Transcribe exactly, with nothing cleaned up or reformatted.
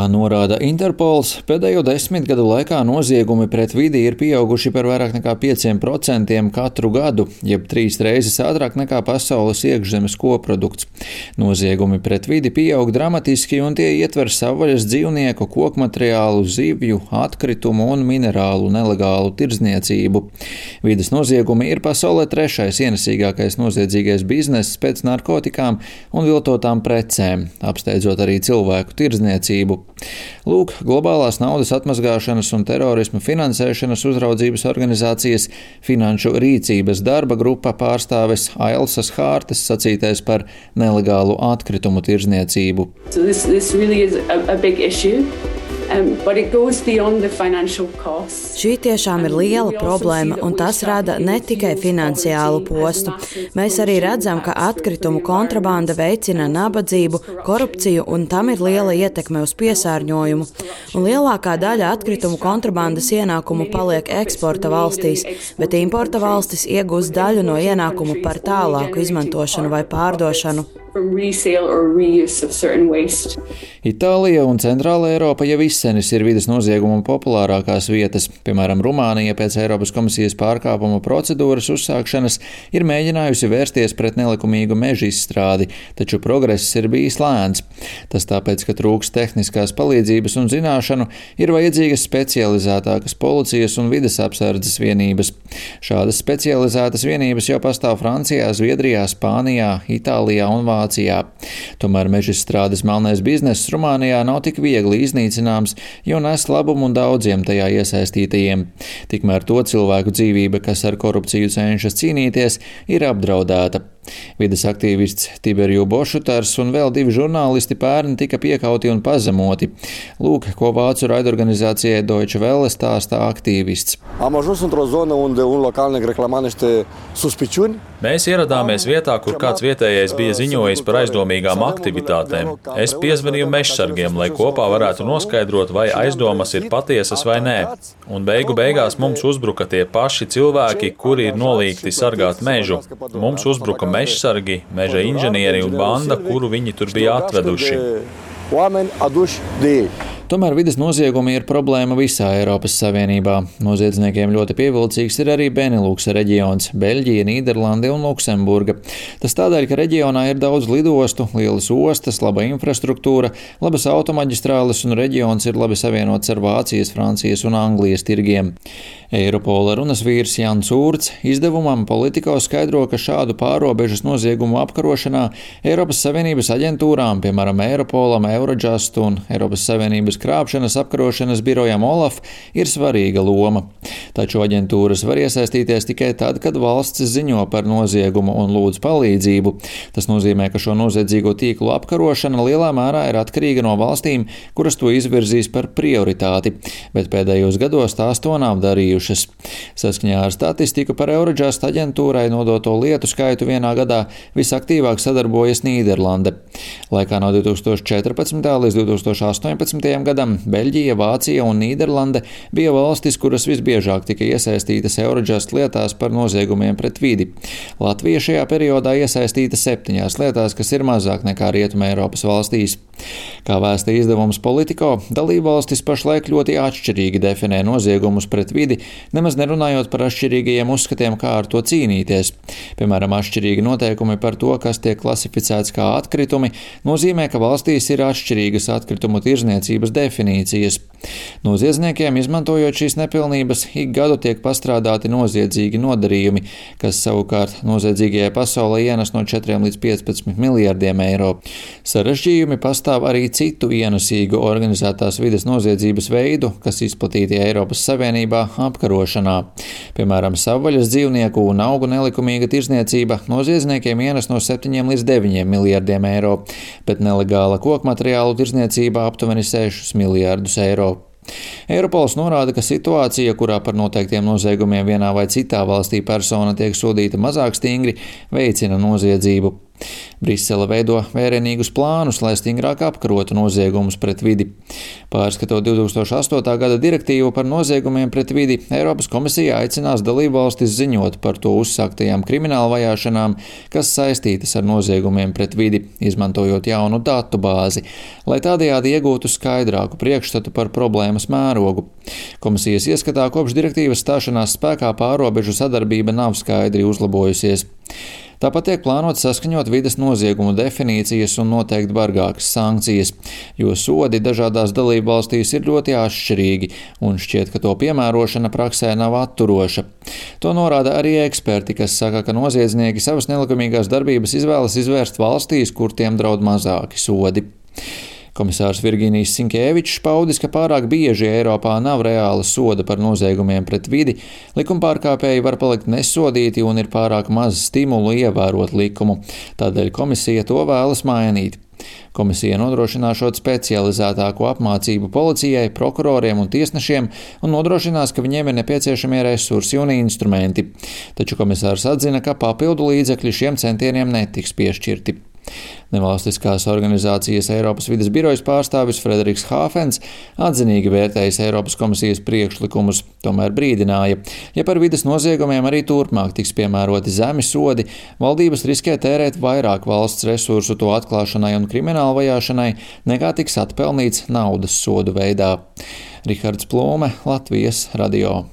Kā norāda Interpols, pēdējo desmit gadu laikā noziegumi pret vidi ir pieauguši par vairāk nekā pieciem procentiem katru gadu, jeb trīs reizes ātrāk nekā pasaules iekšzemes koprodukts. Noziegumi pret vidi pieaug dramatiski un tie ietver savvaļas dzīvnieku, kokmateriālu, zivju, atkritumu un minerālu nelegālu tirdzniecību. Vides noziegumi ir pasaulē trešais ienesīgākais noziedzīgais bizness pēc narkotikām un viltotām precēm, apsteidzot arī cilvēku tirdzniecību. Lūk, globālās naudas atmazgāšanas un terorisma finansēšanas uzraudzības organizācijas Finanšu rīcības darba grupa pārstāves Ailsas Hārtes sacītais par nelegālu atkritumu tirdzniecību. So this, this really is a, a big issue. Um, but it goes beyond the financial costs. Šī tiešām ir liela problēma, un tas rada ne tikai finansiālu postu. Mēs arī redzam, ka atkritumu kontrabanda veicina nabadzību, korupciju, un tam ir liela ietekme uz piesārņojumu. Un lielākā daļa atkritumu kontrabandas ienākumu paliek eksporta valstīs, bet importa valstis iegūst daļu no ienākumu par tālāku izmantošanu vai pārdošanu. Itālija un Centrāla Eiropa jau izsenis ir vides noziegumu populārākās vietas. Piemēram, Rumānija pēc Eiropas komisijas pārkāpuma procedūras uzsākšanas ir mēģinājusi vērsties pret nelikumīgu meža izstrādi, taču progress ir bijis lēns. Tas tāpēc, ka trūks tehniskās palīdzības un zināšanu, ir vajadzīgas specializētākas policijas un vides apsardzes vienības. Šādas specializētas vienības jau pastāv Francijā, Zviedrijā, Spānijā, Itālijā un Vācijā. Tomēr mežizstrādes melnais bizness Rumānijā nav tik viegli iznīcināms, jo nes labumu daudziem tajā iesaistītajiem. Tikmēr to cilvēku dzīvība, kas ar korupciju cenšas cīnīties, ir apdraudēta. Vides aktīvists Tiberju Bošutars un vēl divi žurnālisti pērn tika piekauti un pazemoti. Lūk, ko vācu raidorganizācijai Deutsche Welle stāsta aktīvists. Mēs ieradāmies vietā, kur kāds vietējais bija ziņojis par aizdomīgām aktivitātēm. Es piezvanīju mežsargiem, lai kopā varētu noskaidrot, vai aizdomas ir patiesas vai nē. Un beigu beigās mums uzbruka tie paši cilvēki, kuri ir nolīgti sargāt mežu. Mums uzbruka mežsargi, meža inženieri un banda, kuru viņi tur bija atveduši. Tomēr vides noziegumi ir problēma visā Eiropas Savienībā. Noziedzniekiem ļoti pievilcīgs ir arī Beneluksa reģions – Beļģija, Nīderlande un Luksemburga. Tas tādēļ, ka reģionā ir daudz lidostu, lielas ostas, laba infrastruktūra, labas automaģistrāles un reģions ir labi savienots ar Vācijas, Francijas un Anglijas tirgiem. Eiropola runas vīrs Jans Urts izdevumam Politico skaidro, ka šādu pārobežas noziegumu apkarošanā Eiropas Savienības aģentūrām, piemēram Eiropolam, Eurojust un Eiropas Savienības krāpšanas apkarošanas birojam Olaf, ir svarīga loma. Taču aģentūras var iesaistīties tikai tad, kad valsts ziņo par noziegumu un lūdz palīdzību. Tas nozīmē, ka šo noziedzīgo tīklu apkarošana lielā mērā ir atkarīga no valstīm, kuras to izvirzīs par prioritāti, bet pēdējos gados tās to nav darījušas. Saskaņā ar statistiku par Eurojust aģentūrai nodoto lietu skaitu vienā gadā visaktīvāk sadarbojas Nīderlande. Laikā no divi tūkstoši četrpadsmitajā līdz divi tūkstoši astoņpadsmitajam gadam Beļģija, Vācija un Nīderlande bija valstis, kuras visbiežāk tika iesaistītas Eurojust lietās par noziegumiem pret vidi. Latvija šajā periodā iesaistīta septiņās lietās, kas ir mazāk nekā Rietuma Eiropas valstīs. Kā vēsta izdevums Politico, dalībvalstis pašlaik ļoti atšķirīgi definē noziegumus pret vidi, nemaz nerunājot par atšķirīgajiem uzskatiem, kā ar to cīnīties. Piemēram, atšķirīgi noteikumi par to, kas tiek klasificēts kā atkritumi, nozīmē, ka valstīs ir atšķirīgas atkritumu tirzniecības definīcijas. Noziedzniekiem, izmantojot šīs nepilnības, ik gadu tiek pastrādāti noziedzīgi nodarījumi, kas savukārt noziedzīgajai pasaulē ienes no četriem līdz piecpadsmit miljardiem eiro. Sarežģījumi pastāv arī citu ienesīgu organizētās vides noziedzības veidu, kas izplatīti Eiropas Savienībā apkarošanā. Piemēram, savvaļas dzīvnieku un augu nelikumīga tirzniecība noziedzniekiem ienes no septiņiem līdz deviņiem miljardiem eiro, bet nelegāla kokmateriālu tirzniecība aptuveni sešus miljardus eiro. Eiropols norāda, ka situācija, kurā par noteiktiem noziegumiem vienā vai citā valstī persona tiek sodīta mazāk stingri, veicina noziedzību. Brisele veido vērienīgus plānus, lai stingrāk apkarotu noziegumus pret vidi. Pārskatot divtūkstoš astotā gada direktīvu par noziegumiem pret vidi, Eiropas komisija aicinās dalībvalstis ziņot par to uzsāktajām krimināla vajāšanām, kas saistītas ar noziegumiem pret vidi, izmantojot jaunu datu bāzi, lai tādējādi iegūtu skaidrāku priekšstatu par problēmas mērogu. Komisijas ieskatā kopš direktīvas stāšanās spēkā pārrobežu sadarbība nav skaidri uzlabojusies. Tāpat tiek plānots saskaņot vides noziegumu definīcijas un noteikt bargākas sankcijas, jo sodi dažādās dalībvalstīs ir ļoti atšķirīgi, un šķiet, ka to piemērošana praksē nav atturoša. To norāda arī eksperti, kas saka, ka noziedznieki savas nelikumīgās darbības izvēlas izvērst valstīs, kur tiem draud mazāki sodi. Komisārs Virginijs Sinkēvičs paudis, ka pārāk bieži Eiropā nav reāla soda par noziegumiem pret vidi, likumpārkāpēji var palikt nesodīti un ir pārāk maz stimulu ievērot likumu. Tādēļ komisija to vēlas mainīt. Komisija nodrošināšot specializētāko apmācību policijai, prokuroriem un tiesnešiem un nodrošinās, ka viņiem ir nepieciešamie resursi un instrumenti. Taču komisārs atzina, ka papildu līdzekļi šiem centieniem netiks piešķirti. Nevalstiskās organizācijas Eiropas vides birojas pārstāvis Frederiks Hāfens atzinīgi vērtējis Eiropas komisijas priekšlikumus, tomēr brīdināja, ja par vides noziegumiem arī turpmāk tiks piemēroti zemi sodi, valdības riskē tērēt vairāk valsts resursu to atklāšanai un krimināla vajāšanai, nekā tiks atpelnīts naudas sodu veidā. Rihards Plūme, Latvijas radio.